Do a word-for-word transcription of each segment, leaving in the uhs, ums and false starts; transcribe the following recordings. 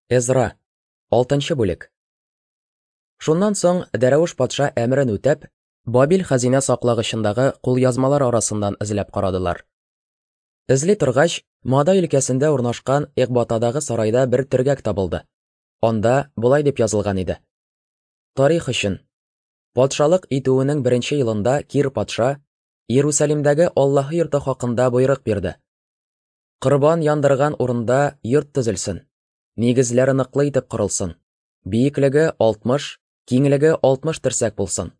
Эзра, алтынчы бүлек. Шуннан соң Дәрәвеш патша әмерен үтәп, Бабил хәзинә саклагычындагы кулъязмалар арасыннан эзләп карадылар. Эзли торгач, Мадай өлкәсендә урнашкан Экбатадагы сарайда бер төргәк табылды. Анда болай дип язылган иде: Тарих өчен. Патшалык итүенең беренче елында Кир патша Иерусалимдәге Аллаһы йорты хакында боерык бирде. Корбан яндырган урында йорт төзелсен. Нигезләре ныклы итеп корылсын. Биеклеге алтмыш, киңлеге алтмыш терсәк булсын.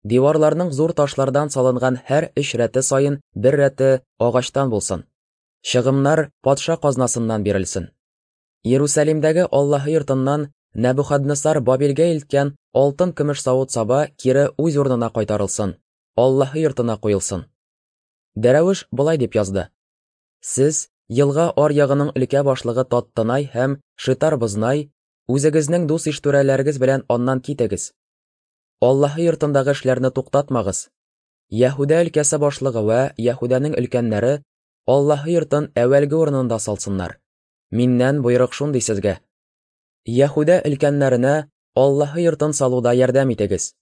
Диварларның зур ташлардан салынган һәр өч рәте саен бер рәте агачтан булсын. Чыгымнар патша казнасыннан бирелсен. Иерусалимдәге Аллаһы йортыннан Нәбухаднесар Бабилгә илткән алтын көмеш савыт-саба кире үз урынына кайтарылсын, Аллаһы йортына куелсын. Дәрәвеш болай дип язды: Сез, елга аръягының өлкә башлыгы Таттынай һәм Шетар-Бознай, үзегезнең дус иштүрәләрегез белән аннан китегез. Аллаһы йортындагы эшләрне туктатмагыз. Яһүдә өлкәсе башлыгы вә Яһүдәнең өлкәннәре Аллаһы йортын әүвәлге урынында салсыннар. Миннән боерык шундый сезгә. Яһүдә өлкәннәренә Аллаһы йортын салуда ярдәм итегез.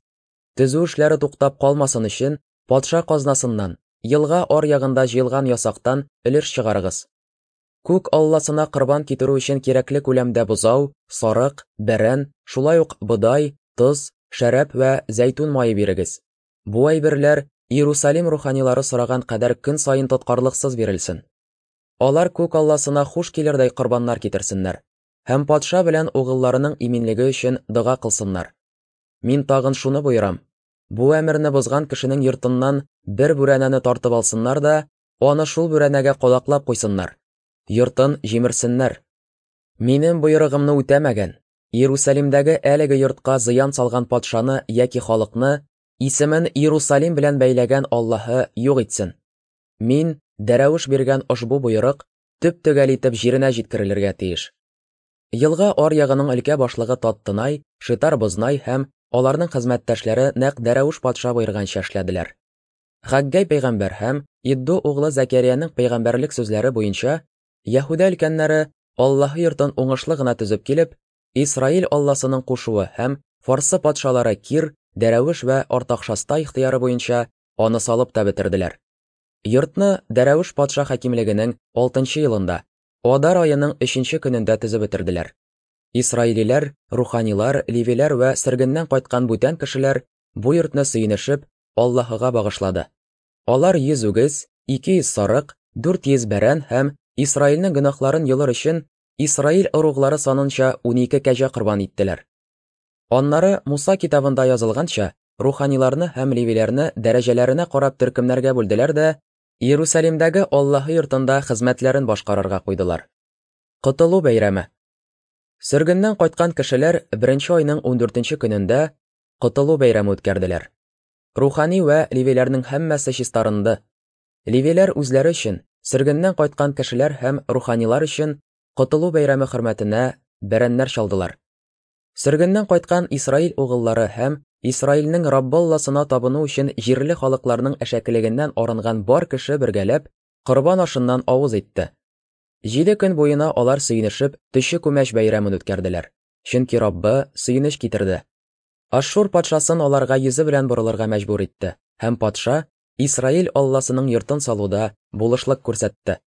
Төзү эшләре туктап калмасын өчен патша казнасыннан, елга аръягында җыелган ясактан өлеш чыгарыгыз. Күк Алласына корбан китерү өчен кирәкле күләмдә бозау, сарык, бәрән, шулай ук бодай, тоз, шәраб вә зәйтүн мае бирегез. Бу әйберләр Иерусалим руханилары сораган кадәр көн саен тоткарлыксыз бирелсен. Алар күк Алласына хуш килердәй корбаннар китерсеннәр һәм патша белән угылларының иминлеге өчен дога кылсыннар. Мин тагын шуны боерам: бу әмерне бозган кешенең йортыннан бер бүрәнәне тартып алсыннар да, аны шул бүрәнәгә кадаклап куйсыннар. Йортын җимерсеннәр. Минем боерыгымны үтәмәгән, Иерусалимдәге әлеге йортка зыян салган патшаны яки халыкны, исемен Иерусалим белән бәйләгән Аллаһы юк итсен. Мин Дәрәвеш биргән ошбу боерык төп-төгәл итеп җиренә җиткерелергә тиеш. Елга аръягының өлкә башлыгы Таттынай, Шетар-Бознай һәм аларның хезмәттәшләре нәкъ Дәрәвеш патша боерганча эшләделәр. Хаггай пәйгамбәр һәм Иддо углы Зәкәрияның пәйгамбәрлек сүзләре буенча Яһүдә өлкәннәре Аллаһы йортын уңышлы гына төзеп килеп, Исраил Алласының кушуы һәм Фарсы патшалары Кир, Дәрәвеш вә Артакшаста ихтыяры буенча аны салып та бетерделәр. Йортны Дәрәвеш патша хакимлегенең алтынчы елында, Адар аеның өченче көнендә төзеп бетерделәр. Исраилиләр, руханилар, левиләр вә сөргеннән кайткан бүтән кешеләр бу йортны сөенешеп Аллаһыга багышлады. Алар йөз үгез, ике йөз сарык, дүрт йөз бәрән һәм Исраилнең гөнаһларын йолыр өчен Исраил ыруглары санынча унике кәҗә корбан иттеләр. Аннары Муса китабында язылганча, руханиларны һәм левиләрне дәрәҗәләренә карап төркемнәргә бүлделәр дә, Иерусалимдәге Аллаһы йортында хезмәтләрен башкарырга куйдылар. Котылу бәйрәме. Сөргеннән кайткан кешеләр беренче айның ундүртенче көнендә Котылу бәйрәме үткәрделәр. Рухани вә левиләрнең һәммәсе чистарынды. Левиләр үзләре өчен, сөргеннән кайткан кешеләр һәм руханилар өчен Котылу бәйрәме хөрмәтенә бәрәннәр чалдылар. Сөргеннән кайткан Исраил угыллары һәм Исраилнең Раббы Алласына табыну өчен җирле халыкларның әшәкелегеннән арынган бар кеше бергәләп корбан ашыннан авыз итте. Җиде көн буена алар сөенешеп төче күмәч бәйрәмен үткәрделәр, чөнки Раббы сөенеч китерде. Ашшур патшасын аларга йөзе белән борылырга мәҗбүр итте, һәм патша Исраил Алласының йортын салуда булышлык күрсәтте.